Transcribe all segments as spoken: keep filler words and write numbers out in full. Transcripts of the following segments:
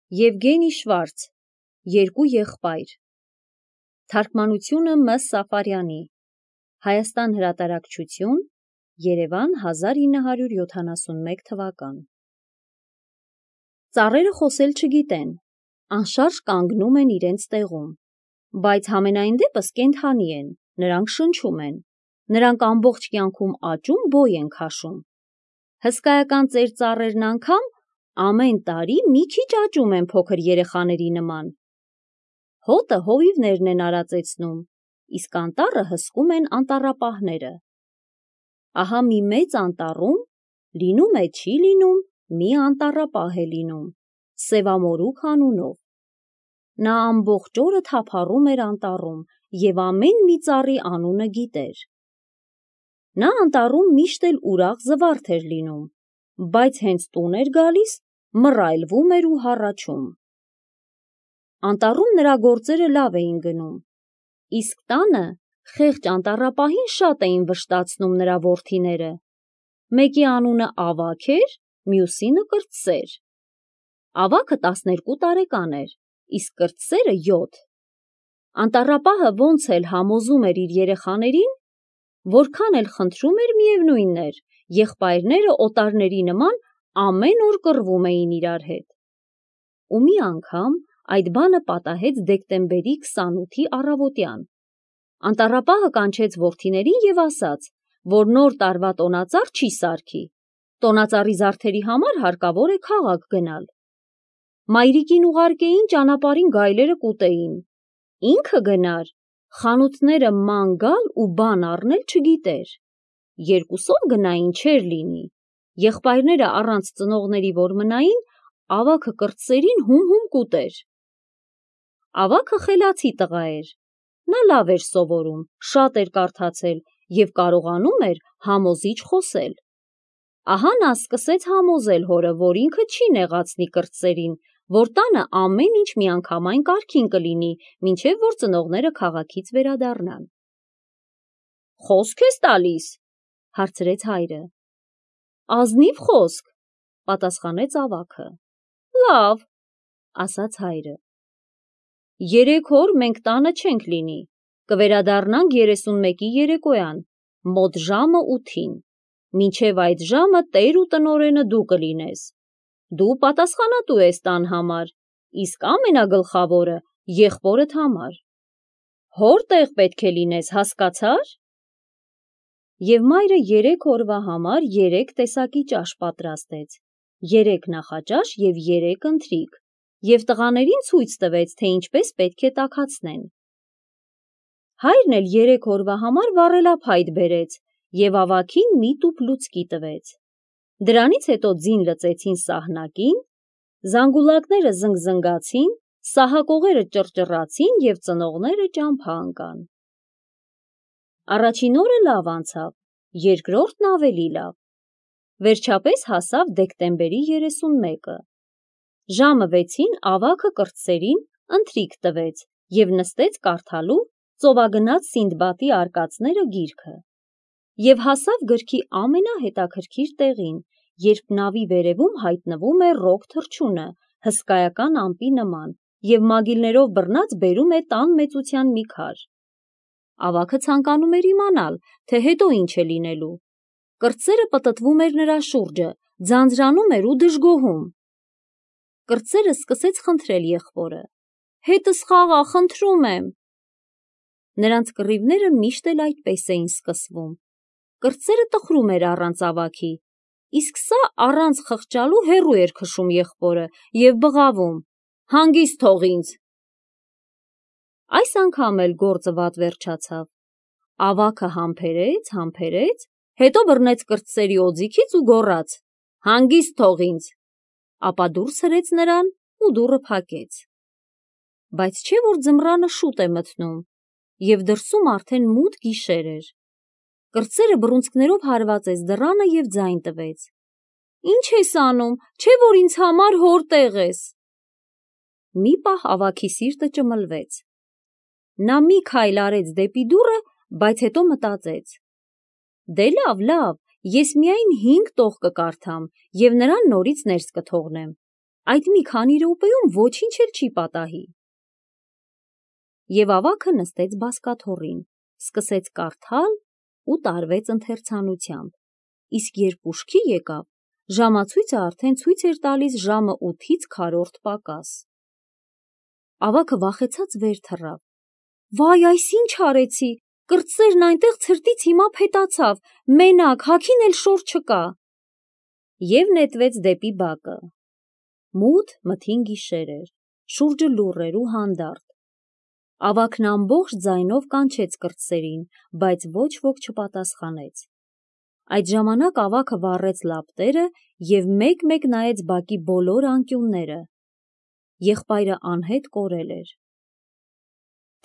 Եվգենի Շվարց, Երկու եղբայր, թարգմանությունը Մ. Սաֆարյանի, Հայաստան հրատարակչություն, Երևան հազար ինը հարյուր յոթանասունմեկ թվական։ Ծառերը խոսել չգիտեն, անշարժ կանգնում են իրենց տեղում, բայց համենայն դեպս կենդանի են, նրանք շնչում են, նրանք ամբողջ կյանքում աճում բոյ են քաշում։ Հսկայական ծեր ծառերն անգամ ամեն տարի մի քիչ աճում են փոքր երեխաների նման։ Հոտը հովիվներն են արածեցնում, իսկ անտառը հսկում են անտառապահները։ Ահա մի մեծ անտառում լինում է չի լինում մի անտառապահ է լինում, Սևամորուք անունով։ Նա ամբողջ օրը թափառում էր անտառում և ամեն մի ծառի անունը գիտեր։ Նա անտառում միշտ էլ ուրախ զվարթ էր լինում, բայց հենց տուն էր գալիս, մռայլվում էր ու հառաչում։ Անտառում նրա գործերը լավ էին գնում, իսկ տանը խեղճ անտառապահին շատ էին վշտացնում նրա որդիները։ Մեկի անունը Ավագ էր, մյուսինը Կրտսեր։ Ավագը տասներկու տարեկան էր, իսկ Կրտսերը յոթ։ Անտառապահը ոնց էլ համոզում էր իր երեխաներին, որքան էլ խնդրում էր, միևնույն էր, եղբայրները օտարների նման ամեն օր կռվում էին իրար հետ։ Ու մի անգամ այդ բանը պատահեց դեկտեմբերի քսանութի առավոտյան։ Անտառապահը կանչեց որդիներին և ասաց, որ նոր տարվա տոնածառ չի սարքի, տոնածառի զարդերի համար հարկավոր է քաղաք գնալ։ Մայրիկին ուղարկեին ճանապարհին գայլերը կուտեին, ինքը գնար, խանութները ման գալ ու բան առնել չգիտեր։ Երկուսով գնային չէր լինի, եղբայրները առանց ծնողների որ մնային, Ավագը Կրտսերին հում-հում կուտեր։ Ավագը խելացի տղա էր, նա լավ էր սովորում, շատ էր կարդացել և կարողանում էր համոզիչ խոսել։ Ահա նա սկսեց համոզել հորը, որ ինքը չի նեղացնի Կրտսերին, որ տանը ամեն ինչ միանգամայն կարգին կլինի, մինչև որ ծնողները քաղաքից վերադառնան։ Խոսք ես տալիս, հարցրեց հայրը։ Ազնիվ խոսք, պատասխանեց Ավագը։ Լավ, ասաց հայրը։ Երեք օր մենք տանը չենք լինի, կվերադառնանք երեսունմեկի երեկոյան, մոտ ժամը ութին, մինչև այդ ժամը տեր ու տնօրենը դու կլինես։ Դու պատասխանատու ես տան համար, իսկ ամենագլխավորը եղբորդ համար։ Հոր տեղ պետք է լինես, հասկացա՞ր։ Եվ մայրը երեք օրվա համար երեք տեսակի ճաշ պատրաստեց, երեք նախաճաշ և երեք ընթրիք, և տղաներին ցույց տվեց, թե ինչպես պետք է տաքացնեն։ Հայրն էլ երեք օրվա համար վառելափայտ բերեց և Ավագին մի տուփ լուցկի տվեց։ Դրանից հետո ձին լծեցին սահնակին, զանգուլակները զնգզնգացին, սահակողերը ճռճռացին և ծնողները ճամփա ընկան։ Առաջին օրը լավ անցավ, երկրորդն ավելի լավ։ Վերջապես հասավ դեկտեմբերի երեսունմեկը։ Ժամը վեցին Ավագը Կրտսերին ընթրիք տվեց և նստեց կարդալու Ծովագնաց Սինդբադի արկածները գիրքը։ Եվ հասավ գրքի ամենահետաքրքիր տեղին, երբ նավի վերևում հայտնվում է ռոք թռչունը, հսկայական ամպի նման, և մագիլներով բռնած բերում է տան մեծության մի քար։ Ավագը ցանկանում էր իմանալ, թե հետո ինչ է լինելու։ Կրտսերը պտտվում էր նրա շուրջը, ձանձրանում էր ու դժգոհում։ Կրտսերը սկսեց խնդրել եղբորը. հետս խաղա, խնդրում եմ։ Նրանց կռիվները միշտ էլ այդպես էին սկսվում։ Կրտսերը տխրում էր առանց Ավագի, իսկ սա առանց խղճալու հեռու էր քշում եղբորը և բղավում. հանգիստ թող ինձ։ Այս անգամ էլ գործը վատ վերջացավ։ Ավագը համբերեց, համբերեց, հետո բռնեց Կրտսերի օձիքից ու գոռաց. հանգիստ թող ինձ, ապա դուրս հրեց նրան ու դուռը փակեց։ Բայց չէ՞ որ ձմռանը շուտ է մթնում, և դրսում արդեն մութ գիշեր էր։ Կրտսերը բռունցքներով հարվածեց դռանը և ձայն տվեց. Ինչ ես անում, չէ՞ որ ինձ համար հոր տեղ ես։ Մի պահ Ավագի սիրտը ճմլվեց։ Նա մի քայլ արեց դեպի դուռը, բայց հետո մտածեց. դե լավ, լավ, ես միայն հինգ տող կկարդամ և նրան նորից ներս կթողնեմ, այդ մի քանի րոպեում ոչինչ էլ չի պատահի։ Եվ ավագը նստեց բազկաթոռին, սկսեց կարդալ ու տարվեց ընթերցանությամբ, իսկ երբ ուշքի եկավ, ժամացույցը արդեն ցույց էր տալիս ժամը ութից քառորդ պակաս։ Ավագը վախեցած վեր թռավ. «Վայ, այս ինչ արեցի, կրտսերն այնտեղ ցրտից հիմա փետացավ, մենակ, հագին էլ շոր չկա»։ Եվ նետվեց դեպի բակը։ Մութ մթին գիշեր էր, շուրջը լուռ էր ու հանդարտ։ Ավագն ամբողջ ձայնով կանչեց կրտսերին, բայց ոչ ոք չպատասխանեց։ Այդ ժամանակ ավագը վառեց լապտերը և մեկ-մեկ նայեց բակի բոլոր անկյունները։ Եղբայրը անհետ կորել էր։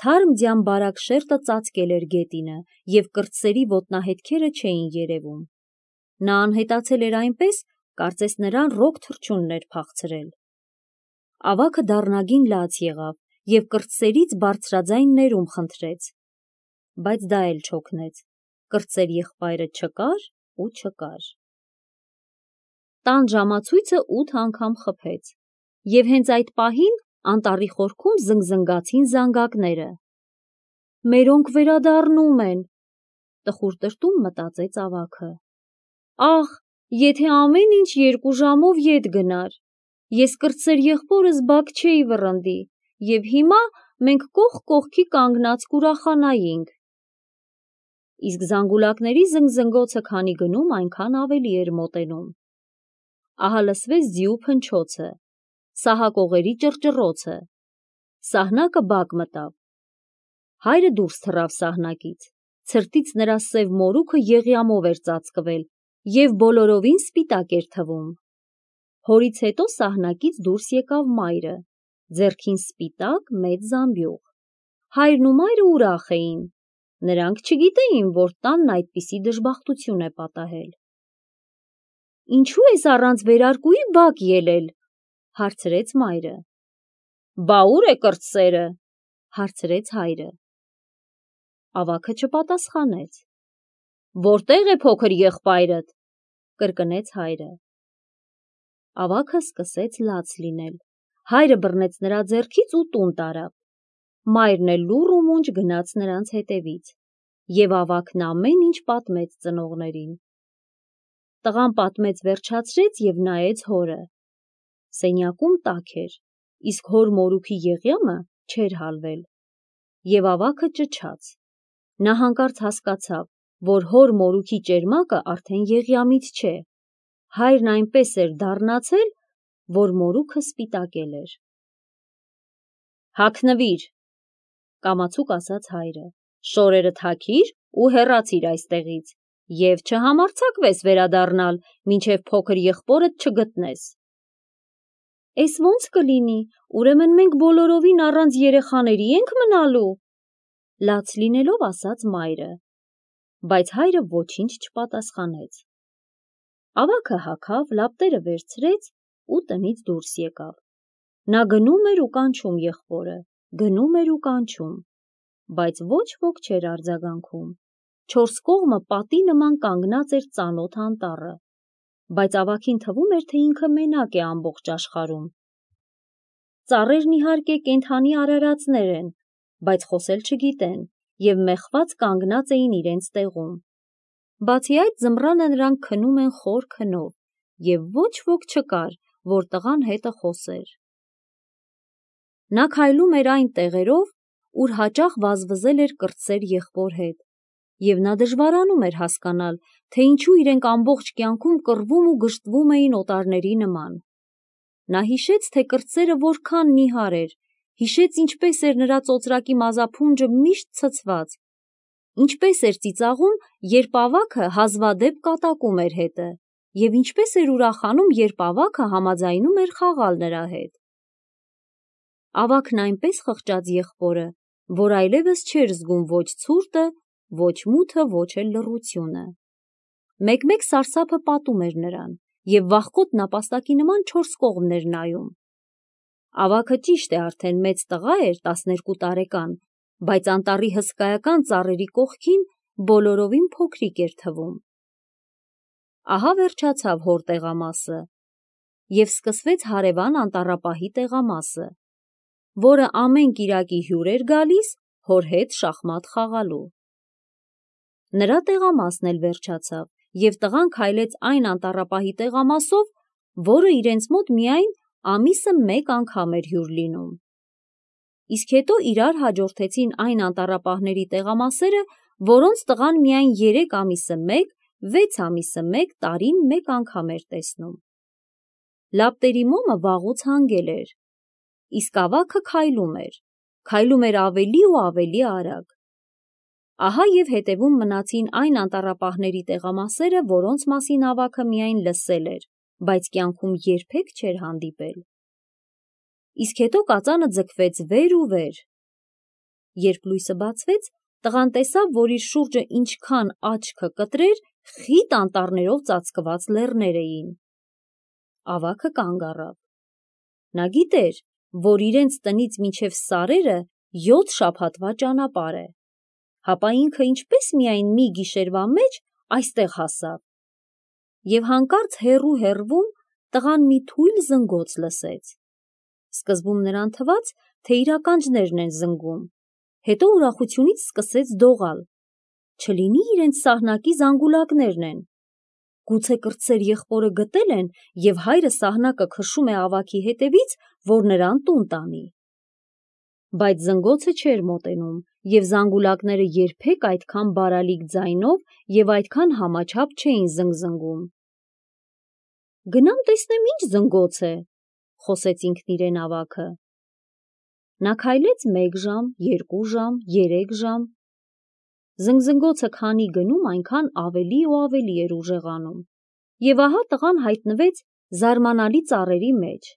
Թարմ ձյան բարակ շերտը ծածկել էր գետինը, և կրտսերի ոտնահետքերը չէին երևում։ Նա անհետացել էր այնպես, կարծես նրան ռոք թռչունն էր փախցրել։ Ավագը դառնագին լաց եղավ և կրտսերից բարձրաձայն ներում խնդրեց, բայց դա էլ չօգնեց, կրտսեր եղբայրը չկար ու չկար։ Տան ժամացույցը ութ անգամ խփեց, և հենց այդ պահին անտառի խորքում զնգզնգացին զանգակները։ «Մերոնք վերադառնում են», տխուր տրտում մտածեց ավագը։ «Ախ, եթե ամեն ինչ երկու ժամով ետ գնար, ես կրտսեր եղբորս բակ չէի վռնդի, և հիմա մենք կողք կողքի կանգնած կուրախանայինք»։ Իսկ զանգուլակների զնգզնգոցը քանի գնում, այնքան ավելի էր մոտենում։ Ահա լսվեց ձիու փնչոցը, սահակողերի ճռճռոցը։ Սահնակը բակ մտավ։ Հայրը դուրս թռավ սահնակից, ցրտից նրա սև մորուքը եղյամով էր ծածկվել և բոլորովին սպիտակ էր թվում։ Հորից հետո սահնակից դուրս եկավ մայրը, ձեռքին սպիտակ մեծ զամբյուղ։ Հայրն ու մայրը ուրախ էին, նրանք չգիտեին, որ տանն այդպիսի դժբախտություն է պատահել։ «Ինչու ես առանց վերարկուի բակ ելել», հարցրեց մայրը։ «Բա ուր է կրտսերը», հարցրեց հայրը։ Ավագը չպատասխանեց։ «Որտե՞ղ է փոքր եղբայրդ», կրկնեց հայրը։ Ավագը սկսեց լաց լինել, հայրը բռնեց նրա ձեռքից ու տուն տարավ։ Մայրն էլ լուռ ու մունջ գնաց նրանց հետևից, և ավագն ամեն ինչ պատմեց ծնողներին։ Տղան պատմեց վերջացրեց և նայեց հորը։ Սենյակում տաք էր, իսկ հոր մորուքի եղյամը չէր հալվել։ Եվ ավագը ճչաց։ Նա հանկարծ հասկացավ, որ հոր մորուքի ճերմակը արդեն եղյամից չէ։ Հայրն այնպես էր դառնացել, որ մորուքը սպիտակել էր։ «Հագնվիր», կամացուկ ասաց հայրը, «շորերդ հագիր ու հեռացիր այստեղից, և չհամարձակվես վերադառնալ, մինչև փոքր եղբորդ չգտնես»։ «Էս ո՞նց կլինի, ուրեմն մենք բոլորովին առանց երեխաների ենք մնալու», լաց լինելով ասաց մայրը, բայց հայրը ոչինչ չպատասխանեց։ Ավագը հագավ, լապտերը վերցրեց ու տնից դուրս եկավ։ Նա գնում էր ու կանչում եղբորը, գնում էր ու կանչում, բայց ոչ ոք չէր արձագանքում։ Չորս կողմը պատի նման կանգնած էր ծանոթ անտառը, բայց ավագին թվում էր, թե ինքը մենակ է ամբողջ աշխարհում։ Ծառերն իհարկե կենդանի արարածներ են, բայց խոսել չգիտեն և մեխված կանգնած էին իրենց տեղում։ Բացի այդ, ձմռանը նրանք քնում են խոր քնով, և ոչ ոք չկար, որ տղան հետը խոսեր։ Նա քայլում էր այն տեղերով, ուր հաճախ վազվզել էր կրտսեր եղբոր հետ, և նա դժվարանում էր հասկանալ, թե ինչու իրենք ամբողջ կյանքում կռվում ու գժտվում էին օտարների նման։ Նա հիշեց, թե կրտսերը որքան նիհար էր, հիշեց ինչպես էր նրա ծոծրակի մազափունջը միշտ ցցված, ինչպես էր ծիծաղում, երբ ավագը հազվադեպ կատակում էր հետը, և ինչպես էր ուրախանում, երբ ավագը համաձայնում էր խաղալ նրա հետ։ Ավագն այնպես խղճաց եղբորը, որ այլևս չէր զգում ոչ ցուրտը, ոչ մութը, ոչ էլ լռությունը։ Մեկ-մեկ սարսափը պատում էր նրան, և վախկոտ նապաստակի նման չորս կողմն էր նայում։ Ավագը ճիշտ է արդեն մեծ տղա էր, տասներկու տարեկան, բայց անտառի հսկայական ծառերի կողքին բոլորովին փոքրիկ էր թվում։ Ահա վերջացավ հոր տեղամասը, և սկսվեց հարևան անտառապահի տեղամասը, որը ամեն կիրակի հյուր էր գալիս հոր հետ շախմատ խաղալու։ Նրա տեղամասն էլ վերջացավ, և տղան քայլեց այն անտառապահի տեղամասով, որը իրենց մոտ միայն ամիսը մեկ անգամ էր հյուր լինում։ Իսկ հետո իրար հաջորդեցին այն անտառապահների տեղամասերը, որոնց տղան միայն երեք ամիսը մեկ, վեց ամիսը մեկ, տարին մեկ անգամ էր տեսնում։ Լապտերի մոմը վաղուց հանգել էր, իսկ ավագը քայլում էր, քայլում էր ավելի ու ավելի արագ։ Ահա և հետևում մնացին այն անտառապահների տեղամասերը, որոնց մասին ավագը միայն լսել էր, բայց կյանքում երբեք չէր հանդիպել։ Իսկ հետո կածանը ձգվեց վեր ու վեր։ Երբ լույսը բացվեց, տղան տեսավ, որ իր շուրջը ինչքան աչքը կտրեր, խիտ անտառներով ծածկված լեռներ էին։ Ավագը կանգ առավ։ Նա գիտեր, որ իրենց տնից մինչև սարերը յոթ շաբաթվա ճանապարհ է, հապա ինքը ինչպես միայն մի գիշերվա մեջ այստեղ հասավ։ Եվ հանկարծ հեռու-հեռվում տղան մի թույլ զնգոց լսեց։ Սկզբում նրան թվաց, թե իր ականջներն են զնգում, հետո ուրախությունից սկսեց դողալ։ Չլինի իրենց սահնակի զանգուլակներն են։ Գուցե կրտսեր եղբորը գտել են, և հայրը սահնակը քշում է ավագի հետևից, որ նրան տուն տանի։ Բայց զնգոցը չէր մոտենում, և զանգուլակները երբեք այդքան բարալիկ ձայնով և այդքան համաչափ չէին զնգզնգում։ «Գնամ տեսնեմ ինչ զնգոց է», խոսեց ինքն իրեն ավագը։ Նա քայլեց մեկ ժամ, երկու ժամ, երեք ժամ։ Զնգզնգոցը քանի գնում, այնքան ավելի ու ավելի էր ուժեղանում, և ահա տղան հայտնվեց զարմանալի ծառերի մեջ։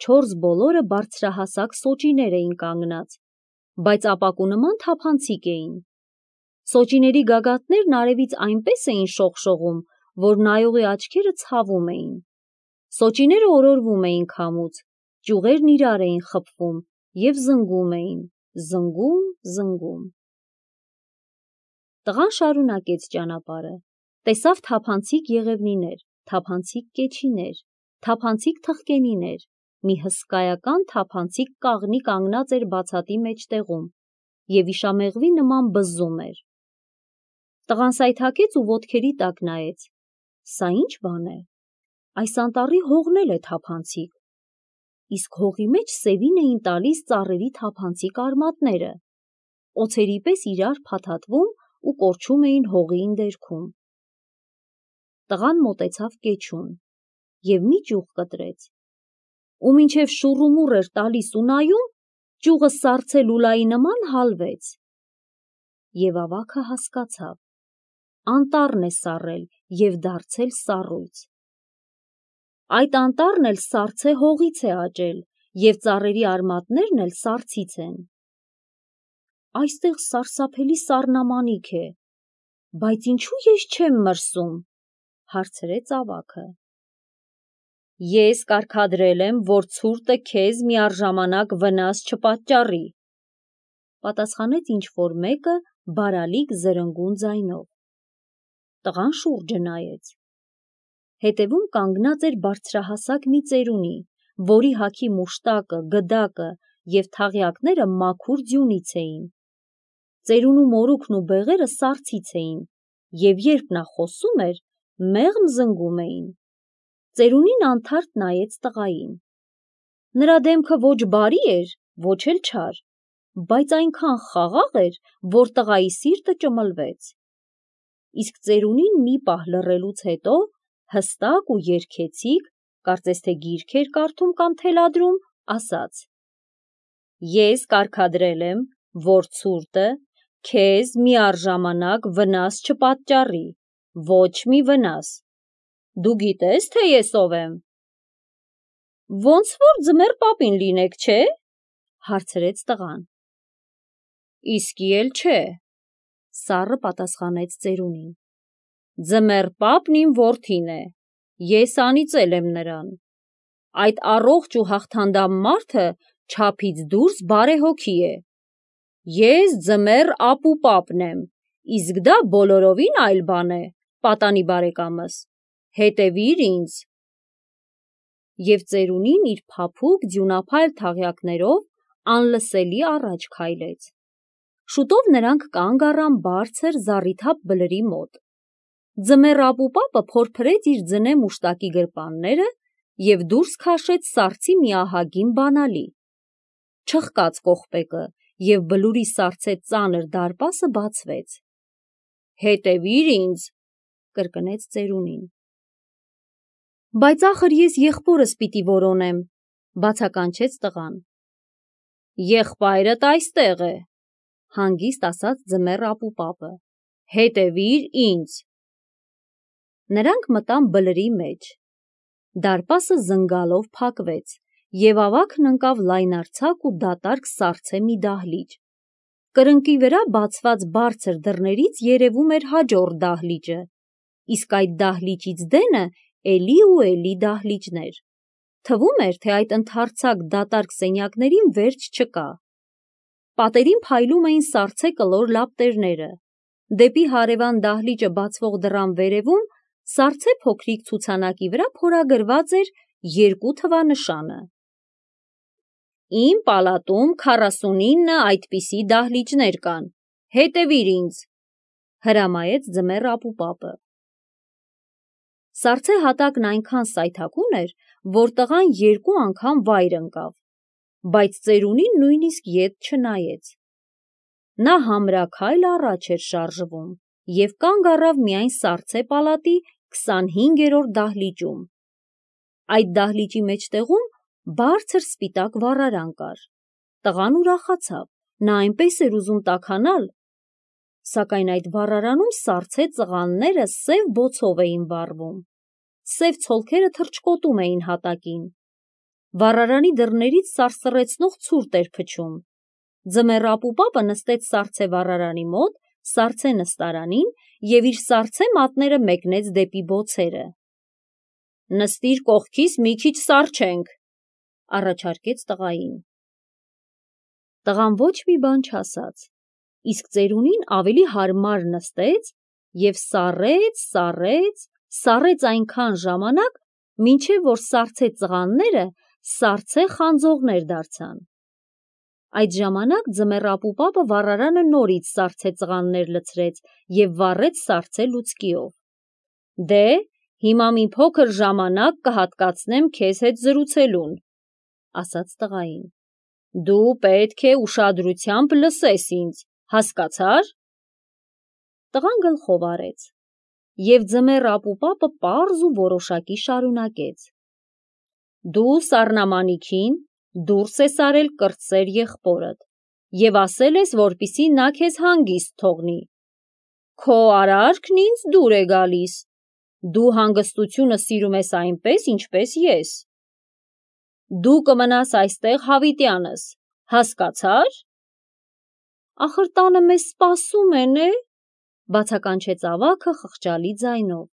Չորս բոլորը բարձրահասակ սոճիներ էին կանգնած, բայց ապակու նման թափանցիկ էին։ Սոճիների գագաթներն արևից այնպես էին շողշողում, որ նայողի աչքերը ցավում էին։ Սոճիները օրորվում էին քամուց, ճյուղերն իրար էին խփվում և զնգում էին, զնգում, զնգում։ Տղան շարունակեց ճանապարհը, տեսավ թափանցիկ եղևնիներ, թափանցիկ կեչիներ, թափանցիկ թխկենիներ, մի հսկայական թափանցիկ կաղնի կանգնած էր բացատի մեջտեղում և իշամեղվի նման բզզում էր։ Տղան սայթաքեց ու ոտքերի տակ նայեց։ Սա ի՞նչ բան է։ Այս անտառի հողն էլ է թափանցիկ։ Իսկ հողի մեջ սևին էին տալիս ծառերի թափանցիկ արմատները, օձերի պես իրար փաթաթվում ու կորչում էին հողի ընդերքում։ Տղան մոտեցավ կեչուն և մի ճյուղ կտրեց, ու մինչև շուռումուռ էր տալիս ու նայում, ճյուղը սառցե լուլայի նման հալվեց։ Եվ ավագը հասկացավ. անտառն է սառել և դարձել սառույց։ Այդ անտառն էլ սառցե հողից է աճել, և ծառերի արմատներն էլ սառցից են։ Այստեղ սարսափելի սառնամանիք է, բայց ինչու ես չեմ մրսում, հարցրեց ավագը։ Ես կարգադրել եմ, որ ցուրտը քեզ միառժամանակ վնաս չպատճառի, պատասխանեց ինչ-որ մեկը բարալիկ զրնգուն ձայնով։ Տղան շուրջը նայեց։ Հետևում կանգնած էր բարձրահասակ մի ծերունի, որի հագի մուշտակը, գդակը և թաղյակները մաքուր ձյունից էին։ Ծերունու մորուքն ու բեղերը սառցից էին, և երբ նա խոսում էր, մեղմ զնգում էին։ Ծերունին անթարթ նայեց տղային։ Նրա դեմքը ոչ բարի էր, ոչ էլ չար, բայց այնքան խաղաղ էր, որ տղայի սիրտը ճմլվեց։ Իսկ ծերունին մի պահ լռելուց հետո հստակ ու երգեցիկ, կարծես թե գիրք էր կարդում կամ թելադրում, ասաց. Ես կարգադրել եմ, որ ցուրտը քեզ միառժամանակ վնաս չպատճառի, ոչ մի վնաս։ Դու գիտես, թե ես ով եմ։ Ոնց որ ձմեռ պապին լինեք, չէ՞, հարցրեց տղան։ Իսկի էլ չէ, սառը պատասխանեց ծերունին։ Ձմեռ պապն իմ որդին է, ես անիծել եմ նրան։ Այդ առողջ ու հաղթանդամ մարդը չափից դուրս բարեհոգի է։ Ես ձմեռ ապու պապն եմ, իսկ դա բոլորովին այլ բան է, պատանի բարեկամս, հետևիր ինձ։ և ծերունին իր փափուկ ձյունափայլ թաղյակներով անլսելի առաջ քայլեց։ Շուտով նրանք կանգ առան բարձր զառիթափ բլրի մոտ։ Ձմեռ ապուպապը փորփրեց իր ձնե մուշտակի գրպանները և դուրս քաշեց սառցի մի ահագին բանալի։ Չխկաց կողպեկը, և բլուրի սառցե ծանր դարպասը բացվեց։ «Հետևիր ինձ», կրկնեց ծերունին։ «Բայց ախր ես եղբորս պիտի որոնեմ», բացականչեց տղան։ «Եղբայրդ այստեղ է», հանգիստ ասաց ձմեռ ապուպապը։ «Հետևիր ինձ»։ Նրանք մտան բլրի մեջ։ Դարպասը զնգալով փակվեց, և ավագն ընկավ լայնարձակ ու դատարկ սառցե մի դահլիճ։ Կրկնակի վրա բացված բարձր դռներից երևում էր հաջորդ դահլիճը, իսկ այդ դահլիճից դենը էլի ու էլի դահլիճներ։ Թվում էր, թե այդ ընդարձակ դատարկ սենյակներին վերջ չկա։ Պատերին փայլում էին սառցե կլոր լապտերները։ Դեպի հարևան դահլիճը բացվող դռան վերևում սառցե փոքրիկ ցուցանակի վրա փորագրված էր երկու թվանշանը։ «Իմ պալատում քառասունինը այդպիսի դահլիճներ կան, հետևիր ինձ», հրամայեց ձմեռ ապուպապը։ Սառցե հատակն այնքան սայթաքուն էր, որ տղան երկու անգամ վայր ընկավ, բայց ծերունին նույնիսկ ետ չնայեց։ Նա համրաքայլ առաջ էր շարժվում և կանգ առավ միայն սառցե պալատի քսանհինգերորդ դահլիճում։ Այդ դահլիճի մեջտեղում բարձր սպիտակ վառարան կար։ Տղան ուրախացավ, նա այնպես էր ուզում տաքանալ, սակայն այդ վառարանում սառցե ծղանները սև բոցով էին վառվում։ Սև ցոլքերը թռչկոտում էին հատակին։ Վառարանի դռներից սարսռեցնող ցուրտ էր փչում։ Ձմեռ ապուպապը նստեց սառցե վառարանի մոտ, սառցե նստարանին և իր սառցե մատները մեկնեց դեպի բոցերը։ «Նստիր կողքիս մի քիչ սառչենք», առաջարկեց տղային։ Տղան ոչ մի բան չասաց, իսկ ծերունին ավելի հարմար նստեց և սառեց, սառեց, սառեց այնքան ժամանակ, մինչև որ սառցե ծղանները սառցե խանձողներ դարձան։ Այդ ժամանակ ձմեռ ապուպապը վառարանը նորից սառցե ծղաններ լցրեց և վառեց սառցե լուցկիով։ «Դե, հիմա մի փոքր ժամանակ կհատկացնեմ քեզ հետ զրուցելուն», ասաց տղային։ «Դու պետք է ուշադրությամբ լսես ինձ, հասկացա՞ր»։ Տղան գլխով արեց, և ձմեռ ապուպապը պարզ ու որոշակի շարունակեց. «Դու սառնամանիքին դուրս ես արել կրտսեր եղբորդ և ասել ես, որպեսզի նա քեզ հանգիստ թողնի։ Քո արարքն ինձ դուր է գալիս։ Դու հանգստությունը սիրում ես այնպես, ինչպես ես։ Դու կմնաս այստեղ հավիտյանս, հասկացա՞ր»։ «Ախր տանը մեզ սպասում են, է՞», բացականչեց ավագը խղճալի ձայնով։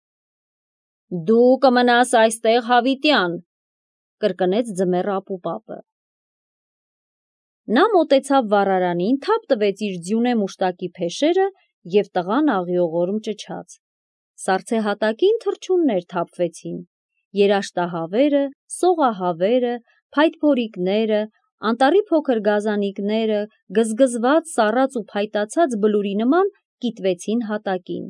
«Դու կմնաս այստեղ հավիտյան», կրկնեց ձմեռ ապուպապը։ Նա մոտեցավ վառարանին, թափ տվեց իր ձյունե մուշտակի փեշերը և տղան աղիողորմ ճչաց։ Սառցե հատակին թռչուններ թափվեցին։ Երաշտահավերը, սողահավերը, փայտփորիկները, անտառի փոքր գազանիկները գզգզված, սառած ու փայտացած բլուրի նման կիտվեցին հատակին։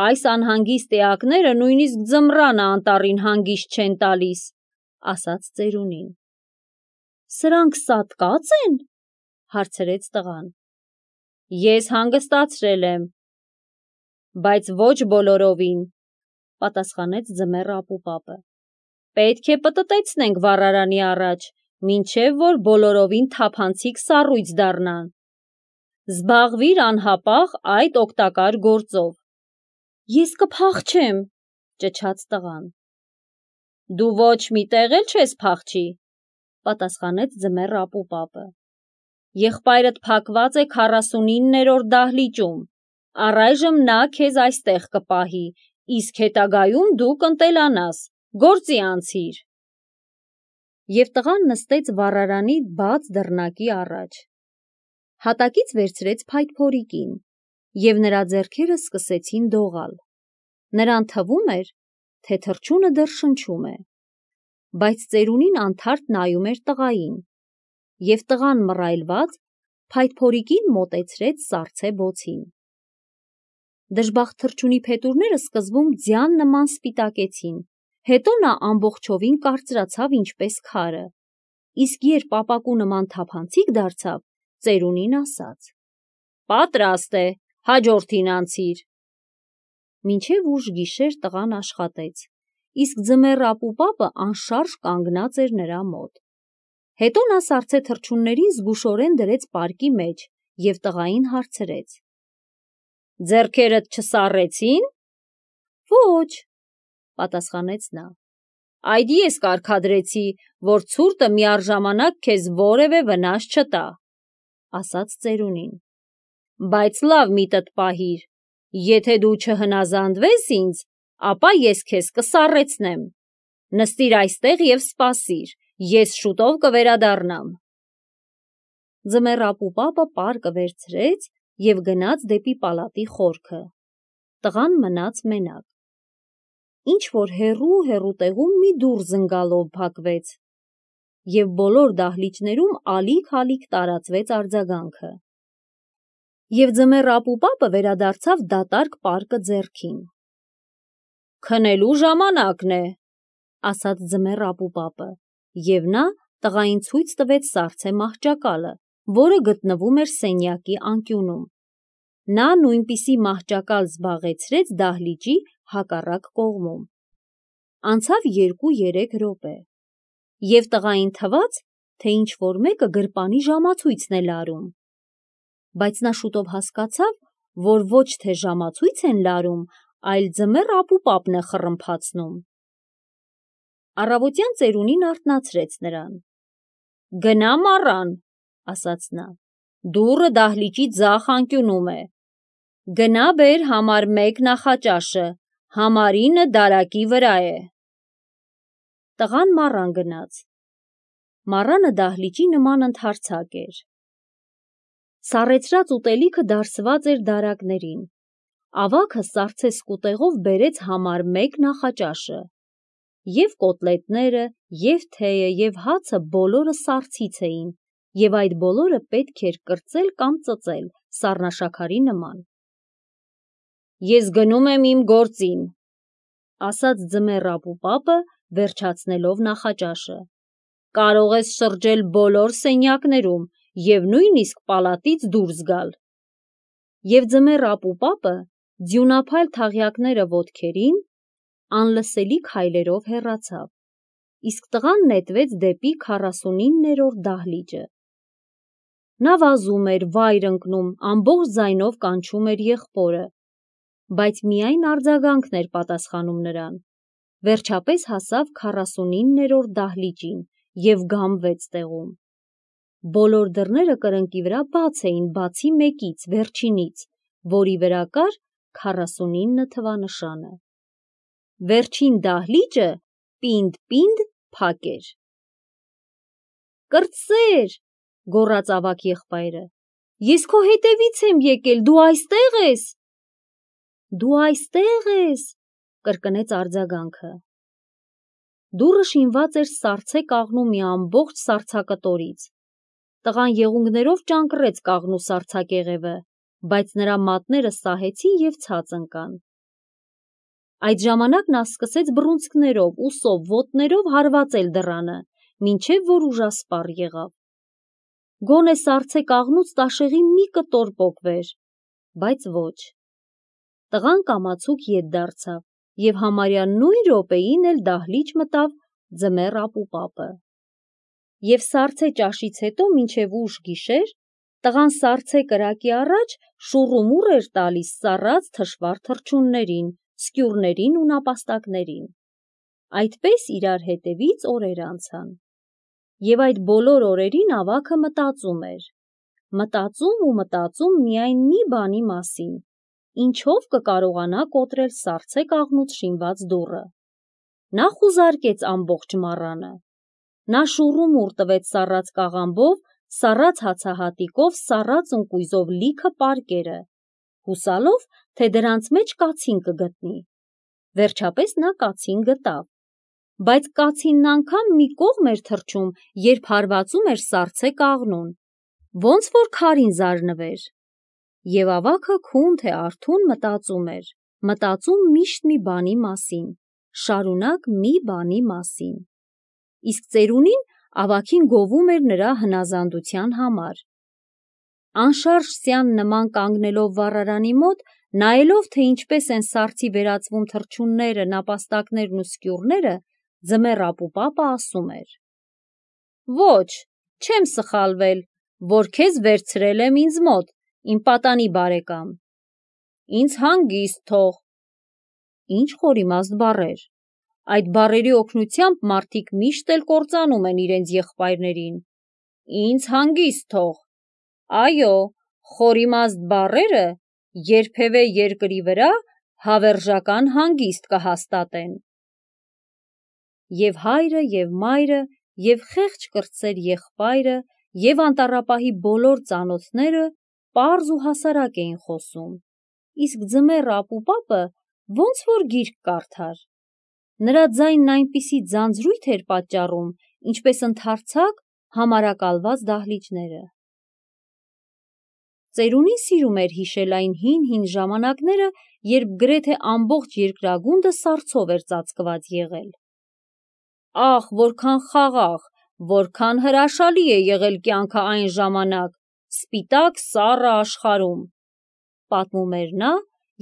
«Այս անհանգիստ էակները նույնիսկ ձմռանը անտառին հանգիստ չեն տալիս», ասաց ծերունին։ «Սրանք սատկած են», հարցրեց տղան։ «Ես հանգստացրել եմ»։ «Բայց ոչ բոլորովին», պատասխանեց ձմեռ ապուպապը։ «Պետք է պտտեցնենք վառարանի առաջ, մինչև որ բոլորովին թափանցիկ սառույց դառնան։ Զբաղվիր անհապաղ այդ օգտակար գործով»։ «Ես կփախչեմ», ճչաց տղան։ «Դու ոչ մի տեղ էլ չես փախչի», պատասխանեց ձմեռ ապուպապը։ «Եղբայրդ փակված է քառասունիններորդ դահլիճում, առայժմ նա քեզ այստեղ կպահի, իսկ հետագայում դու կընտելանաս, գործի անցիր»։ Եվ տղան նստեց վառարանի բաց դռնակի առաջ։ Հատակից վերցրեց փայտփորիկին, և նրա ձեռքերը սկսեցին դողալ։ Նրան թվում էր, թե թռչունը դեռ շնչում է։ բայց ծերունին անթարթ նայում էր տղային, և տղան մռայլված փայտփորիկին մոտեցրեց սառցե բոցին։ Դժբախտ թռչունի փետուրները սկզբում ձյան նման սպիտակեցին, հետո նա ամբողջովին կարծրացավ ինչպես քարը, իսկ երբ ապակու նման թափանցիկ դարձավ, ծերունին ասաց. «Պատրաստ է, հաջորդին անցիր»։ Մինչև ուշ գիշեր տղան աշխատեց, իսկ ձմեռ ապուպապը անշարժ կանգնած էր նրա մոտ։ Հետո նա սառցե թռչուններին զգուշորեն դրեց պարկի մեջ և տղային հարցրեց. «Ձեռքերդ չսառեցի՞ն»։ «Ոչ», պատասխանեց նա։ «Այդ ես կարգադրեցի, որ ցուրտը միառժամանակ քեզ որևէ վնաս չտա», ասաց ծերունին։ «Բայց լավ միտդ պահիր, եթե դու չհնազանդվես ինձ, ապա ես քեզ կսառեցնեմ։ Նստիր այստեղ և սպասիր, ես շուտով կվերադառնամ»։ Ձմեռ ապուպապը պարկը վերցրեց և գնաց դեպի պալատի խորքը։ Տղան մնաց մենակ։ Ինչ-որ հեռու-հեռու տեղում մի դուռ զնգալով փակվեց, և բոլոր դահլիճներում ալիք-ալիք տարածվեց արձագանքը։ Եվ ձմեռ ապուպապը վերադարձավ դատարկ պարկը ձեռքին։ «Քնելու ժամանակն է», ասաց ձմեռ ապուպապը, և նա տղային ցույց տվեց սառցե մահճակալը, որը գտնվում էր սենյակի անկյունում։ Նա նույնպիսի մահճակալ զբաղեցրեց դահլիճի հակառակ կողմում։ Անցավ երկու-երեք րոպե, և տղային թվաց, թե ինչ-որ մեկը գրպանի ժամացույցն է լարում, բայց նա շուտով հասկացավ, որ ոչ թե ժամացույց են լարում, այլ ձմեռ ապուպապն է խռմփացնում։ Առավոտյան ծերունին արթնացրեց նրան։ «Գնա մառան», ասաց նա, «դուռը դահլիճի ձախ անկյունում է։ Գնա բեր համար մեկ նախաճաշը, համարինը դարակի վրա է»։ Տղան մառան գնաց։ Մառանը դահլիճի նման ընդարձակ էր։ Սառեցրած ուտելիքը դարսված էր դարակներին։ Ավագը սառցե սկուտեղով բերեց համար մեկ նախաճաշը։ Եվ կոտլետները, և թեյը, և հացը բոլորը սառցից էին, և այդ բոլորը պետք էր կրծել կամ ծծել սառնաշաքարի նման։ «Ես գնում եմ իմ գործին», ասաց ձմեռ ապուպապը, վերջացնելով նախաճաշը։ «Կարող ես շրջել բոլոր սենյակներում և նույնիսկ պալատից դուրս գալ»։ Եվ ձմեռ ապուպապը, ձյունափայլ թաղյակները ոտքերին, անլսելի քայլերով հեռացավ, իսկ տղան նետվեց դեպի քառասունիններորդ դահլիճը։ Նա վազում էր, վայր ընկնում, ամբողջ ձայնով կանչում էր եղբորը, բայց միայն արձագանքն էր պատասխանում նրան։ Վերջապես հասավ քառասունիններորդ դահլիճին և գամվեց տեղում։ Բոլոր դռները կրկնակի վրա բաց էին, բացի մեկից, վերջինից, որի վրա կար քառասունինը թվանշանը։ Վերջին դահլիճը պինդ-պինդ փակ էր։ «Կրտսեր», գոռաց ավագ եղբայրը, «ես քո հետևից եմ եկել, դու այստե՞ղ ես»։ «Դու այստե՞ղ ես», կրկնեց արձագանքը։ Դուռը շինված էր սառցե կաղնու մի ամբողջ սառցակտորից։ Տղան եղունգներով ճանկռեց կաղնու սառցակեղևը, բայց նրա մատները սահեցին և ցած ընկան։ Այդ ժամանակ նա սկսեց բռունցքներով, ուսով, ոտներով հարվածել դռանը, մինչև որ ուժասպառ եղավ։ Գոնե սառցե կաղնուց տաշեղի մի կտոր պոկվեր, բայց ոչ։ Տղան կամացուկ ետ դարձավ և համարյա նույն րոպեին էլ դահլիճ մտավ ձմեռ ապուպապը։ Եվ սառցե ճաշից հետո մինչև ուշ գիշեր տղան սառցե կրակի առաջ շուռումուռ էր տալիս սառած թշվառ թռչուններին, սկյուռներին ու նապաստակներին։ Այդպես իրար հետևից օրեր անցան։ Եվ այդ բոլոր օրերին ավագը մտածում էր։ Մտածում ու մտածում միայն մի բանի մասին. ինչով կկարողանա կոտրել սառցե կաղնուց շինված դուռը։ Նա խուզարկեց ամբողջ մառանը։ Նա շուռումուռ տվեց սառած կաղամբով, սառած հացահատիկով, սառած ընկույզով լիքը պարկերը, հուսալով, թե դրանց մեջ կացին կգտնի։ Վերջապես նա կացին գտավ։ բայց կացինն անգամ մի կողմ էր թռչում, երբ հարվածում էր սառցե կաղնուն, ոնց որ քարին զարնվեր։ Եվ ավագը քուն թե արթուն մտածում էր, մտածում միշտ մի բանի մասին, շարունակ մի բանի մասին։ Իսկ ծերունին ավագին գովում էր նրա հնազանդության համար։ Անշարժ սյան նման կանգնելով վառարանի մոտ, նայելով, թե ինչպես են սառցի վերածվում թռչունները, նապաստակներն ու սկյուռները, ձմեռ ապուպապը ասում էր. «Ոչ, չեմ սխալվել, որ քեզ վերցրել եմ ինձ մոտ, իմ պատանի բարեկամ։ Ինձ հանգիստ թող»։ Ինչ խորիմաստ բառեր։ Այդ բառերի օգնությամբ մարդիկ միշտ էլ կործանում են իրենց եղբայրներին։ Ինձ հանգիստ թող։ Այո, խորիմաստ բառերը երբևէ երկրի վրա հավերժական հանգիստ կհաստատեն։ Եվ հայրը, և մայրը, և խեղճ կրտսեր եղբայրը, և անտառապահի բոլոր ծանոթները պարզ ու հասարակ էին խոսում, իսկ ձմեռ ապուպապը ոնց որ գիրք կարդար։ Նրա ձայնն այնպիսի ձանձրույթ էր պատճառում, ինչպես ընդարձակ համարակալված դահլիճները։ Ծերունին սիրում էր հիշել այն հին-հին ժամանակները, երբ գրեթե ամբողջ երկրագունդը սառցով էր ծածկված եղել։ Ահ, որքան խաղաղ, որքան հրաշալի է եղել կյանքը այն ժամանակ, սպիտակ սառը աշխարհում, պատմում էր նա,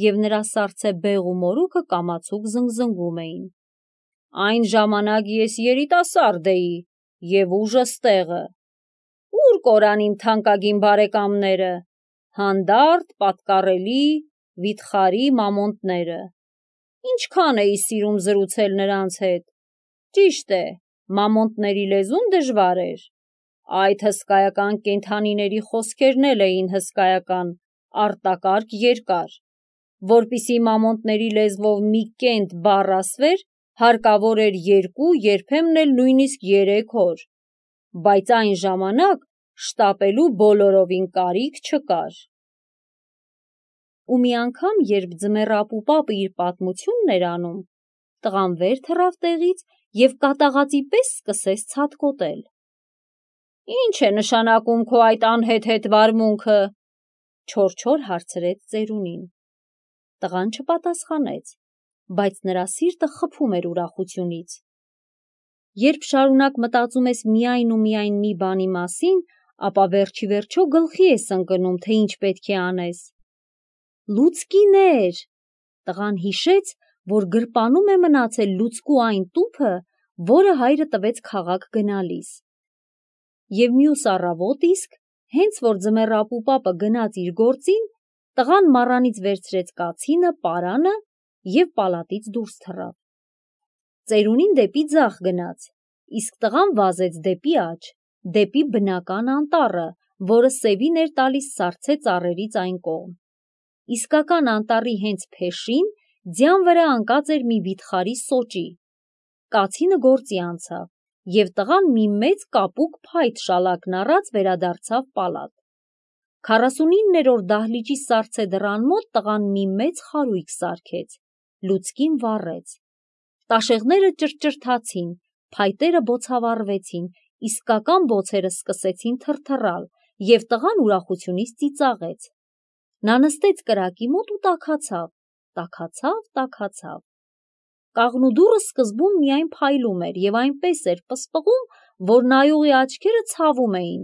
և նրա սառցե բեղ ու մորուքը կամացուկ զնգզնգում էին։ Այն ժամանակ ես երիտասարդ էի, և ուժս տեղը։ Ո՞ւր կորան իմ թանկագին բարեկամները, հանդարտ, պատկառելի, վիթխարի մամոնտները։ Ինչքան էի սիրում զրուցել նրանց հետ։ Ճիշտ է, մամոնտների լեզուն դժվար էր։ Այդ հսկայական կենդանիների խոսքերն էլ էին հսկայական, արտակարգ երկար։ Որպեսզի մամոնտների լեզվով մի կենտ բառ ասվեր, հարկավոր էր երկու, երբեմն էլ նույնիսկ երեք օր։ Բայց այն ժամանակ շտապելու բոլորովին կարիք չկար։ Ու մի անգամ, երբ ձմեռ ապուպապը իր պատմությունն էր անում, տղան վեր թռավ տեղից և կատաղածի պես սկսեց ցատկոտել։ «Ի՞նչ է նշանակում քո այդ անհեթեթ վարմունքը», չոր-չոր հարցրեց ծերունին։ Տղան չպատասխանեց, բայց նրա սիրտը խփում էր ուրախությունից։ Երբ շարունակ մտածում ես միայն ու միայն մի բանի մասին, ապա վերջիվերջո գլխի ես ընկնում, թե ինչ պետք է անես։ Լուցկիներ։ Տղան հիշեց, որ գրպանում է մնացել լուցկու այն տուփը, որը հայրը տվեց քաղաք գնալիս։ Եվ մյուս առավոտ իսկ, հենց որ ձմեռ ապուպապը գնաց իր գործին, տղան մառանից վերցրեց կացինը, պարանը և պալատից դուրս թռավ։ Ծերունին դեպի ձախ գնաց, իսկ տղան վազեց դեպի աջ, դեպի բնական անտառը, որը սևին էր տալիս սառցե ծառերից այն կողմ։ Իսկական անտառի հենց փեշին ձյան վրա ընկած էր մի վիթխարի սոճի։ Կացինը գործի անցավ, և տղան մի մեծ կապուկ փայտ շալակն առած վերադարձավ պալատ։ Քառասունիններորդ դահլիճի սառցե դռան մոտ տղան մի մեծ խարույկ սարքեց, լուցկին վառեց։ Տաշեղները ճրճրթացին, փայտերը բոցավառվեցին, իսկական բոցերը սկսեցին թրթռալ, և տղան ուրախությունից ծիծաղեց։ Նա նստեց կրակի մոտ ու տաքացավ, տաքացավ, տաքացավ։ Կաղնուդուռը սկզբում միայն փայլում էր և այնպես էր պսպղում, որ նայողի աչքերը ցավում էին,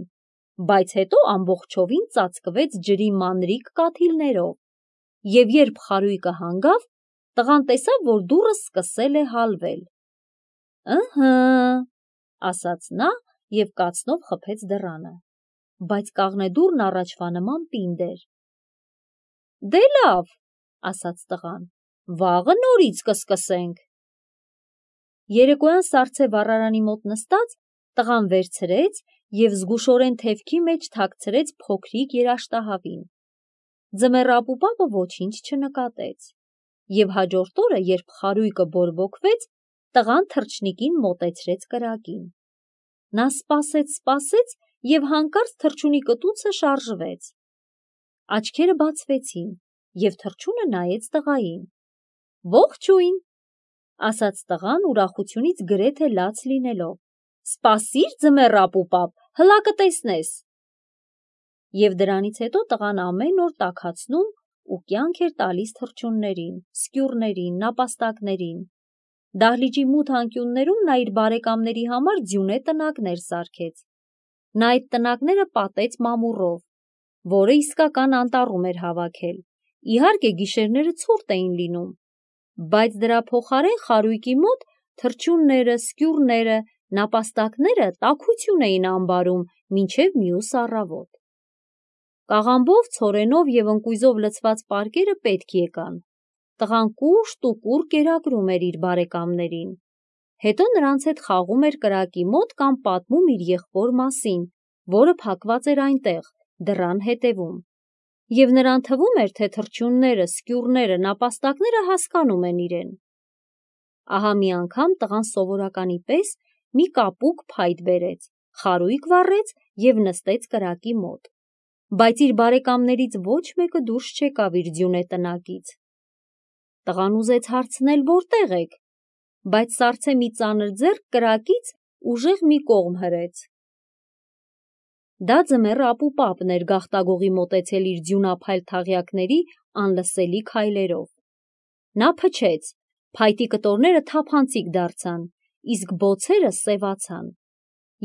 բայց հետո ամբողջովին ծածկվեց ջրի մանրիկ կաթիլներով, և երբ խարույկը հանգավ, տղան տեսավ, որ դուռը սկսել է հալվել։ «Ըհը», ասաց նա և կացնով խփեց դռանը, բայց կաղնեդուռն առաջվա նման պինդ էր։ «Դե լավ», ասաց տղան, «վաղը նորից կսկսենք»։ Երեկոյան սառցե վառարանի մոտ նստած, տղան վերցրեց և զգուշորեն թևքի մեջ թաքցրեց փոքրիկ երաշտահավին։ Ձմեռ ապուպապը ոչինչ չնկատեց, և հաջորդ օրը, երբ խարույկը բորբոքվեց, տղան թռչնիկին մոտեցրեց կրակին։ Նա սպասեց, սպասեց և հանկարծ թռչունի կտուցը շարժվեց։ Աչքերը բացվեցին, և թռչունը նայեց տղային։ «Ողջույն», ասաց տղան ուրախությունից գրեթե լաց լինելով։ Սպասիր ձմեռ ապուպապ, հլա կտեսնես։ Եվ դրանից հետո տղան ամեն օր տաքացնում ու կյանք էր տալիս թռչուններին, սկյուռներին, նապաստակներին։ Դահլիճի մութ անկյուններում նա իր բարեկամների համար ձյունե տնակներ սարքեց։ Նա այդ տնակները պատեց մամուռով, որը իսկական անտառում էր հավաքել։ Իհարկե գիշերները ցուրտ էին լինում, բայց դրա փոխարեն խարույկի մոտ թռչունները, սկյուռները, նապաստակները տաքություն էին ամբարում մինչև մյուս առավոտ։ Կաղամբով, ցորենով և ընկույզով լցված պարկերը պետք եկան։ Տղան կուշտ ու կուռ կերակրում էր իր բարեկամներին, հետո նրանց հետ խաղում էր կրակի մոտ կամ պատմում իր եղբոր մասին, որը փակված էր այնտեղ, դռան հետևում։ Եվ նրան թվում էր, թե թռչունները, սկյուռները, նապաստակները հասկանում են իրեն։ Ահա մի անգամ տղան սովորականի պես մի կապուկ փայտ բերեց, խարույկ վառեց և նստեց կրակի մոտ։ Բայց իր բարեկամներից ոչ մեկը դուրս չեկավ իր ձյունե տնակից։ Տղան ուզեց հարցնել որտե՞ղ եք, բայց սառցե մի ծանր ձեռք կրակից ուժեղ մի կողմ հրեց։ Դա ձմեռ ապուպապն էր գաղտագողի մոտեցել իր ձյունափայլ թաղյակների անլսելի քայլերով։ Նա փչեց, փայտի կտորները թափանցիկ դարձան, իսկ բոցերը սևացան։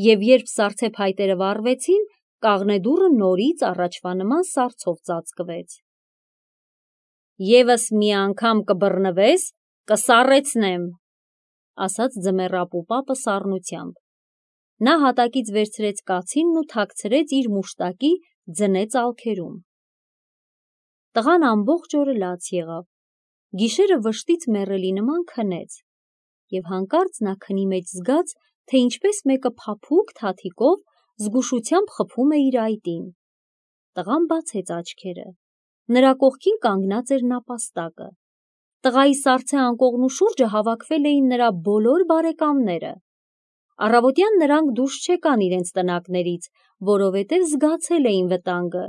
Եվ երբ սառցե փայտերը վառվեցին, կաղնե դուռը նորից առաջվա նման սառցով ծածկվեց։ Եվս մի անգամ կբռնվես, կսառեցնեմ, ասաց ձմեռ ապուպապը սառնությամբ։ Նա հատակից վերցրեց կացինն ու թաքցրեց իր մուշտակի ձնե ծալքերում։ Տղան ամբողջ օրը լաց եղավ, գիշերը վշտից մեռելի նման քնեց, և հանկարծ նա քնի մեջ զգաց, թե ինչպես մեկը փափուկ թաթիկով զգուշությամբ խփում է իր այտին։ Տղան բացեց աչքերը, նրա կողքին կանգնած էր նապաստակը։ Տղայի սառցե անկողնու շուրջը հավաքվել էին նրա բոլոր բարեկամները։ Առավոտյան նրանք դուրս չեկան իրենց տնակներից, որովհետև զգացել էին վտանգը,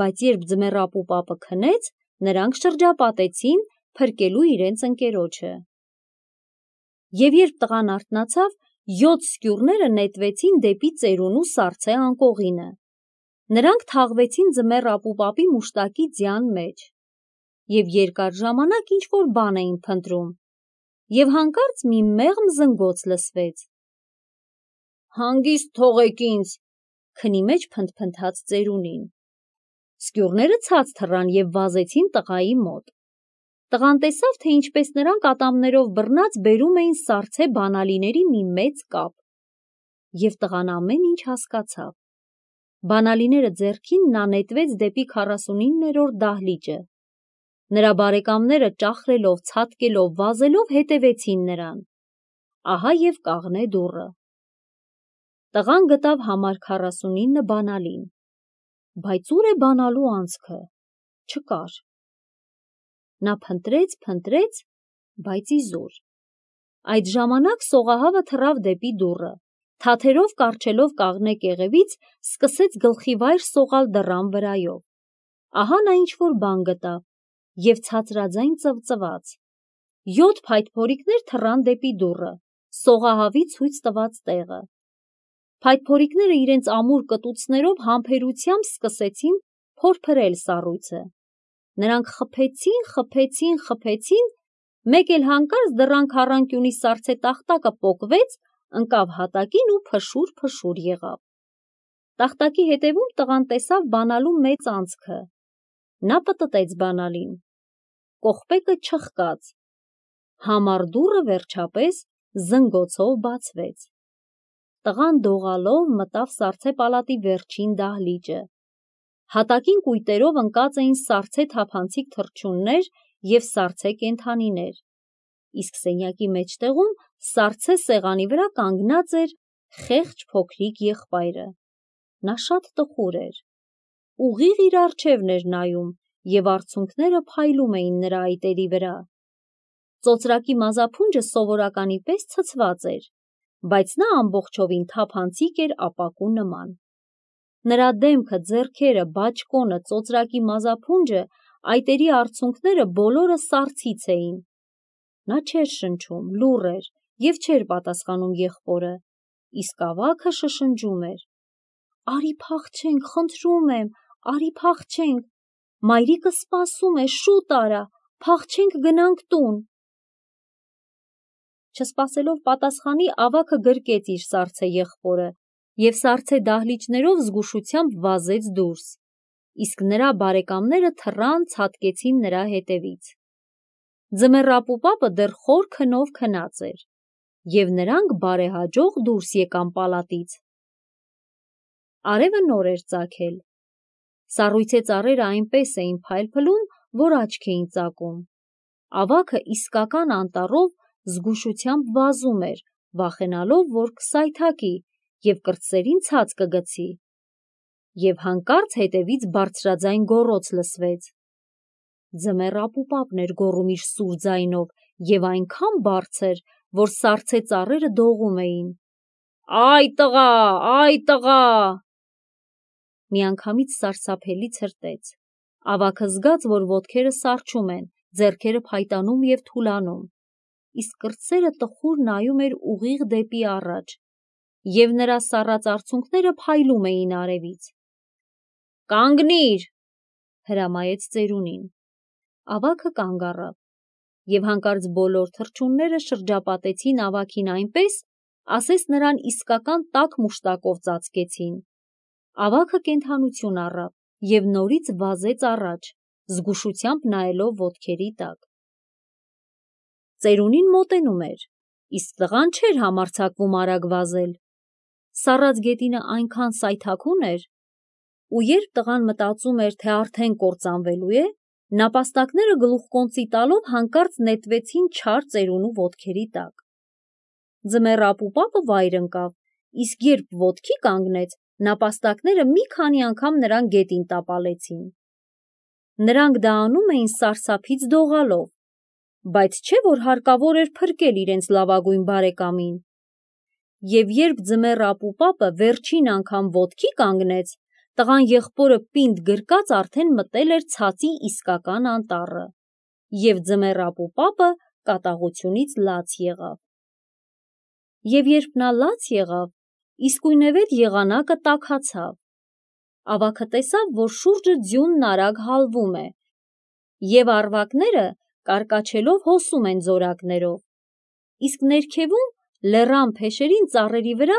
բայց երբ ձմեռ ապուպապը քնեց, նրանք շրջապատեցին փրկելու իրենց ընկերոջը։ Եվ երբ տղան արթնացավ, յոթ սկյուռները նետվեցին դեպի ծերունու սառցե անկողինը։ Նրանք թաղվեցին ձմեռ ապուպապի մուշտակի ձյան մեջ և երկար ժամանակ ինչ-որ բան էին փնտրում, և հանկարծ մի մեղմ զնգոց լսվեց։ Հանգիստ թողեք ինձ, քնի մեջ փնթփնթաց ծերունին։ Սկյուռները ցած թռան և վազեցին տղայի մոտ։ Տղան տեսավ, թե ինչպես նրանք ատամներով բռնած բերում էին սառցե բանալիների մի մեծ կապ, և տղան ամեն ինչ հասկացավ։ Բանալիները ձեռքին նա նետվեց դեպի քառասունիններորդ դահլիճը։ Նրա բարեկամները ճախրելով, ցատկելով, վազելով հետևեցին նրան։ Ահա և կաղնե դուռը։ Տղան գտավ համար քառասունինը բանալին, բայց ուր է բանալու անցքը, չկար։ Նա փնտրեց, փնտրեց, բայց իզուր։ Այդ ժամանակ սողահավը թռավ դեպի դուռը, թաթերով կառչելով կաղնե կեղևից, սկսեց գլխիվայր սողալ դռան վրայով։ Ահա նա ինչ-որ բան գտավ և ցածրաձայն ծվծվաց։ Յոթ փայտփորիկներ թռան դեպի դուռը, սողահավի ցույց տված տեղը։ Փայտփորիկները իրենց ամուր կտուցներով համբերությամբ սկսեցին փորփրել սառույցը։ Նրանք խփեցին, խփեցին, խփեցին, մեկ էլ հանկարծ դռան քառանկյունի սառցե տախտակը պոկվեց, ընկավ հատակին ու փշուր-փշուր եղավ։ Տախտակի հետևում տղան տեսավ բանալու մեծ անցքը։ Նա պտտեց բանալին։ Կողպեկը չխկաց։ Համար դուռը վերջապես զնգոցով բացվեց։ Տղան դողալով մտավ սառցե պալատի վերջին դահլիճը։ Հատակին կույտերով ընկած էին սառցե թափանցիկ թռչուններ և սառցե կենդանիներ, իսկ սենյակի մեջտեղում սառցե սեղանի վրա կանգնած էր խեղճ փոքրիկ եղբայրը։ Նա շատ տխուր էր։ Ուղիղ իր առջևն էր նայում, և արցունքները փայլում էին նրա այտերի վրա։ Ծոծրակի մազափունջը սովորականի պես ցցված էր, բայց նա ամբողջովին թափանցիկ էր ապակու նման։ Նրա դեմքը, ձեռքերը, բաճկոնը, ծոծրակի մազափունջը, այտերի արցունքները բոլորը սառցից էին։ Նա չէր շնչում, լուռ էր և չէր պատասխանում եղբորը, իսկ ավագը շշնջում էր. «Արի փախչենք, խնդրում եմ, արի փախչենք, մայրիկը սպասում է, շուտ արա, փախչենք գնանք տուն»։ Չսպասելով պատասխանի, ավագը գրկեց իր սառցե եղբորը և սառցե դահլիճներով զգուշությամբ վազեց դուրս, իսկ նրա բարեկամները թռան, ցատկեցին նրա հետևից։ Ձմեռ ապուպապը դեռ խոր քնով քնած էր, և նրանք բարեհաջող դուրս եկան պալատից։ Արևը նոր էր ծագել։ Սառույցե ծառերը այնպես էին փայլփլում, որ աչք էին ծակում։ Ավագը իսկական անտառով զգուշությամբ վազում էր, վախենալով, որ կսայթաքի և կրտսերին ցած կգցի։ Եվ հանկարծ հետևից բարձրաձայն գոռոց լսվեց։ Ձմեռ ապուպապն էր գոռում իր սուր ձայնով և այնքան բարձր, որ սառցե ծառերը դողում էին. «Այ տղա, այ տղա»։ Միանգամից սարսափելի ցրտեց։ Ավագը զգաց, որ ոտքերը սառչում են, ձեռքերը փայտանում և թուլանում, իսկ կրտսերը տխուր նայում էր ուղիղ դեպի առաջ, և նրա սառած արցունքները փայլում էին արևից։ «Կանգնի՛ր», հրամայեց ծերունին։ Ավագը կանգ առավ, և հանկարծ բոլոր թռչունները շրջապատեցին ավագին այնպես, ասես նրան իսկական տաք մուշտակով ծածկեցին։ Ավագը կենդանություն առավ և նորից վազեց առաջ, զգուշությամբ նայելով ոտքերի տակ։ Ծերունին մոտենում էր, իսկ տղան չէր համարձակվում արագ վազել։ Սառած գետինը այնքան սայթաքուն էր, ու երբ տղան մտածում էր, թե արդեն կործանվելու է, նապաստակները գլուխկոնծի տալով հանկարծ նետվեցին չար ծերունու ոտքերի տակ։ Ձմեռ ապուպապը վայր ընկավ, իսկ երբ ոտքի կանգնեց, նապաստակները մի քանի անգամ նրան գետին տապալեցին։ Նրանք դա անում էին սարսափից դողալով, բայց չէ՞ որ հարկավոր էր փրկել իրենց լավագույն բարեկամին։ Եվ երբ ձմեռ ապուպապը վերջին անգամ ոտքի կանգնեց, տղան եղբորը պինդ գրկած արդեն մտել էր ցածի իսկական անտառը, և ձմեռ ապուպապը կատաղությունից լաց եղավ։ Եվ երբ նա լաց եղավ, իսկույնևեթ եղանակը տաքացավ։ Ավագը տեսավ, որ շուրջը ձյունն արագ հալվում է, և առվակները կարկաչելով հոսում են զորակներով, իսկ ներքևում, լեռան փեշերին ծառերի վրա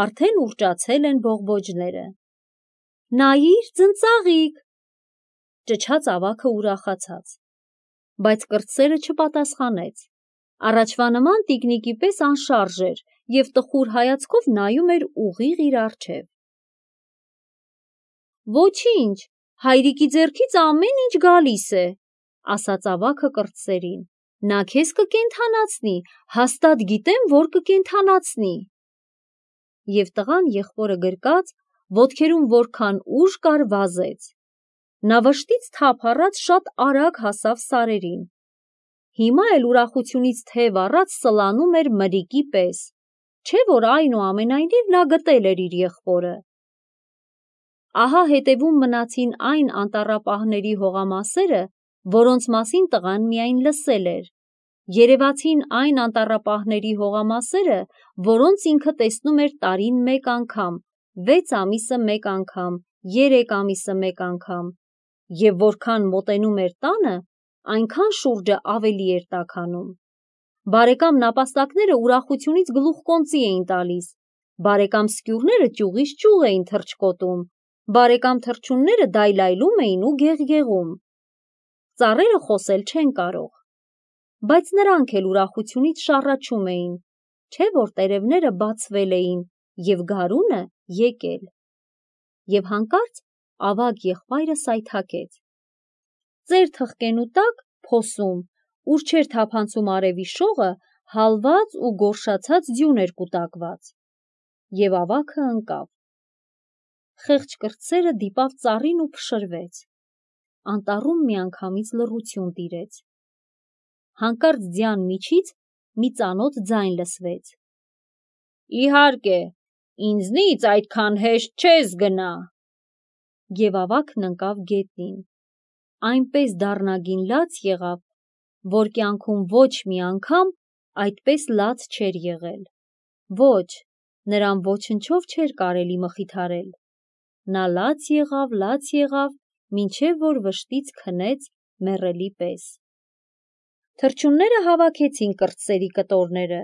արդեն ուռճացել են բողբոջները։ «Նայիր, ձնծաղիկ», ճչաց ավագը ուրախացած։ Բայց կրտսերը չպատասխանեց։ Առաջվա նման տիկնիկի պես անշարժ էր և տխուր հայացքով նայում էր ուղիղ իր առջև։ «Ոչինչ, հայրիկի ձեռքից ամեն ինչ գալիս է», ասաց ավագը կրտսերին։ «Նա քեզ կկենդանացնի, հաստատ գիտեմ, որ կկենդանացնի»։ Եվ տղան եղբորը գրկած, ոտքերում որքան ուժ կար վազեց։ Նա վշտից թափ առած շատ արագ հասավ սարերին։ Հիմա էլ ուրախությունից թև առած սլանում էր մրրիկի պես, չէ՞ որ այնուամենայնիվ նա գտել էր իր եղբորը։ Ահա հետևում մնացին այն անտառապահների հողամասերը, որոնց մասին տղան միայն լսել էր։ Երևացին այն անտառապահների հողամասերը, որոնց ինքը տեսնում էր տարին մեկ անգամ, վեց ամիսը մեկ անգամ, երեք ամիսը մեկ անգամ, և որքան մոտենում էր տանը, այնքան շուրջը ավելի էր տաքանում։ Բարեկամ նապաստակները ուրախությունից գլուխկոնծի էին տալիս, բարեկամ սկյուռները ճյուղից ճյուղ էին թռչկոտում, բարեկամ թռչունները դայլայլում էին ու գեղգեղում։ Ծառերը խոսել չեն կարող, բայց նրանք էլ ուրախությունից շառաչում էին, չէ՞ որ տերևները բացվել էին և գարունը եկել։ Եվ հանկարծ ավագ եղբայրը սայթաքեց։ Ծեր թխկենու տակ, փոսում, ուր չէր թափանցում արևի շողը, հալված ու գորշացած ձյուն էր կուտակված։ Եվ ավագը ընկավ։ Խեղճ կրտսերը դիպավ ծառին ու փշրվեց։ Անտառում միանգամից լռություն տիրեց։ Հանկարծ ձյան միջից մի ծանոթ ձայն լսվեց. «Իհարկե, ինձնից այդքան հեշտ չես գնա»։ Եվ ավագն ընկավ գետնին։ Այնպես դառնագին լաց եղավ, որ կյանքում ոչ մի անգամ այդպես լաց չէր եղել։ Ոչ, նրան ոչնչով չէր կարելի մխիթարել։ Նա լաց եղավ, լաց եղավ, մինչև որ վշտից քնեց մեռելի պես։ Թռչունները հավաքեցին կրտսերի կտորները,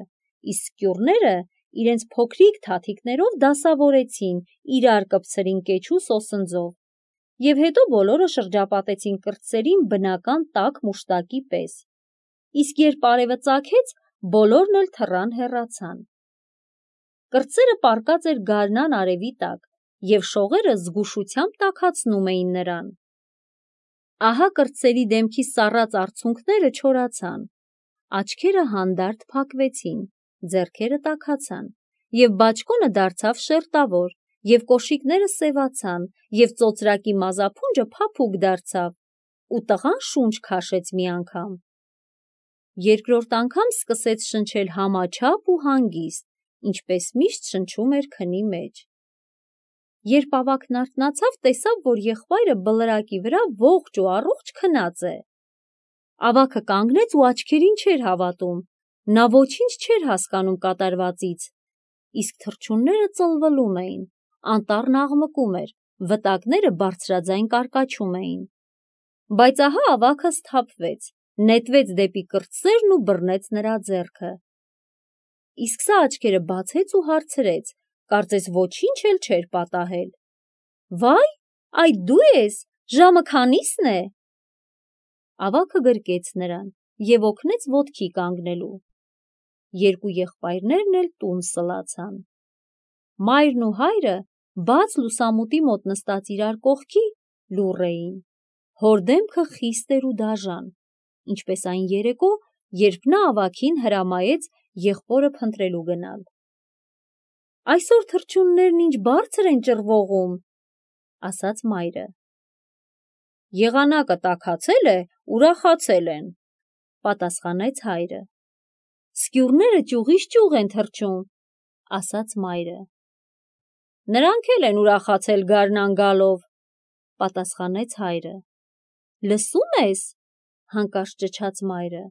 իսկ սկյուռները իրենց փոքրիկ թաթիկներով դասավորեցին իրար կպցրին կեչու սոսնձով, և հետո բոլորը շրջապատեցին կրտսերին բնական տաք մուշտակի պես, իսկ երբ արևը ծագեց, բոլորն էլ թռան հեռացան։ Կրտսերը պառկած էր գարնան արևի տակ, և շողերը զգուշությամբ տաքացնում էին նրան։ Ահա կրտսերի դեմքի սառած արցունքները չորացան, աչքերը հանդարտ փակվեցին, ձեռքերը տաքացան, և բաճկոնը դարձավ շերտավոր, և կոշիկները սևացան, և ծոծրակի մազափունջը փափուկ դարձավ, ու տղան շունչ քաշեց մի անգամ։ Երկրորդ անգամ սկսեց շնչել համաչափ ու հանգիստ, ինչպես միշտ շնչում էր քնի մեջ։ Երբ ավագն արթնացավ, տեսավ, որ եղբայրը բլրակի վրա ողջ ու առողջ քնած է։ Ավագը կանգնեց ու աչքերին չէր հավատում, նա ոչինչ չէր հասկանում կատարվածից, իսկ թռչունները ծլվլում էին, անտառն աղմկում էր, վտակները բարձրաձայն կարկաչում էին։ Բայց ահա ավագը սթափվեց, նետվեց դեպի կրտսերն ու բռնեց նրա ձեռքը։ Իսկ սա աչքերը բացեց ու հարցրեց, կարծես ոչինչ էլ չէր պատահել. «Վայ, այդ դու ես, ժամը քանի՞սն է»։ Ավագը գրկեց նրան և օգնեց ոտքի կանգնելու։ Երկու եղբայրներն էլ տուն սլացան։ Մայրն ու հայրը, բաց լուսամուտի մոտ նստած իրար կողքի, լուռ էին։ Հոր դեմքը խիստ էր ու դաժան, ինչպես այն երեկո, երբ նա ավագին հրամայեց եղբորը փնտրելու գնալ։ «Այսօր թռչուններն ինչ բարձր են ճռվողում», ասաց մայրը։ «Եղանակը տաքացել է, ուրախացել են», պատասխանեց հայրը։ «Սկյուռները ճյուղից ճյուղ են թռչում», ասաց մայրը։ «Նրանք էլ են ուրախացել գարնան գալով», պատասխանեց հայրը։ «Լսո՞ւմ ես», հանկարծ ճչաց մայրը։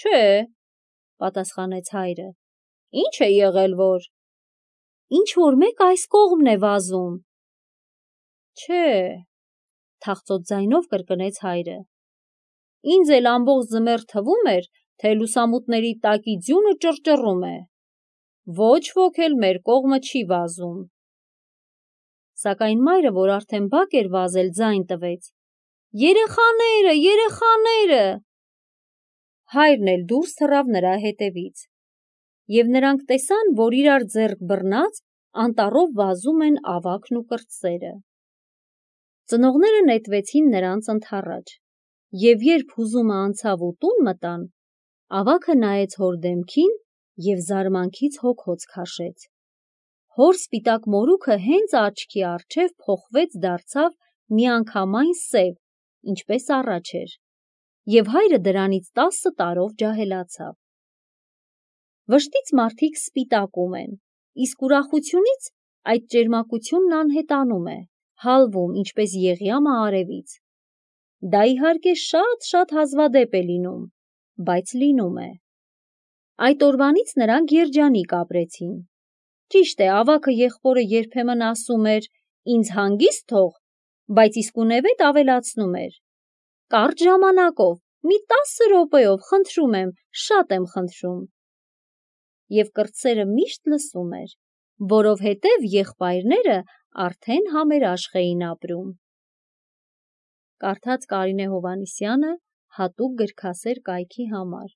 «Չէ», պատասխանեց հայրը։ «Ինչ է եղել որ»։ «Ինչ-որ մեկ այս կողմն է վազում»։ «Չէ», թախծոտ ձայնով կրկնեց հայրը։ «Ինձ էլ ամբողջ ձմեռ թվում էր, թե լուսամուտների տակի ձյունը ճռճռում է։ Ոչ ոք էլ մեր կողմը չի վազում»։ Սակայն մայրը, որ արդեն բակ էր վազել, ձայն տվեց. «Երեխաները, երեխաները»։ Հայրն էլ դուրս թռավ նրա հետևից։ Եվ նրանք տեսան, որ իրար ձեռք բռնած անտառով վազում են ավագն ու կրտսերը։ Ծնողները նետվեցին նրանց ընդառաջ, և երբ հուզումը անցավ ու տուն մտան, ավագը նայեց հոր դեմքին և զարմանքից հոգոց քաշեց։ Հոր սպիտակ մորուքը հենց աչքի առջև փոխվեց դարձավ միանգամայն սև, ինչպես առաջ էր, և հայրը դրանից տասը տարով ջահելացավ։ Վշտից մարդիկ սպիտակում են, իսկ ուրախությունից այդ ճերմակությունն անհետանում է, հալվում, ինչպես եղյամը արևից։ Դա իհարկե շատ-շատ հազվադեպ է լինում, բայց լինում է։ Այդ օրվանից նրանք երջանիկ ապրեցին։ Ճիշտ է, ավագը եղբորը երբեմն ասում էր. «Ինձ հանգիստ թող», բայց իսկունևեթ ավելացնում էր. «Կարճ ժամանակով, մի տասը րոպեով, խնդրում եմ, շատ եմ խնդրում»։ Եվ կրտսերը միշտ լսում էր, որովհետև եղբայրները արդեն համերաշխ էին ապրում։ Կարդաց Կարինե Հովհաննիսյանը հատուկ գրքասեր կայքի համար։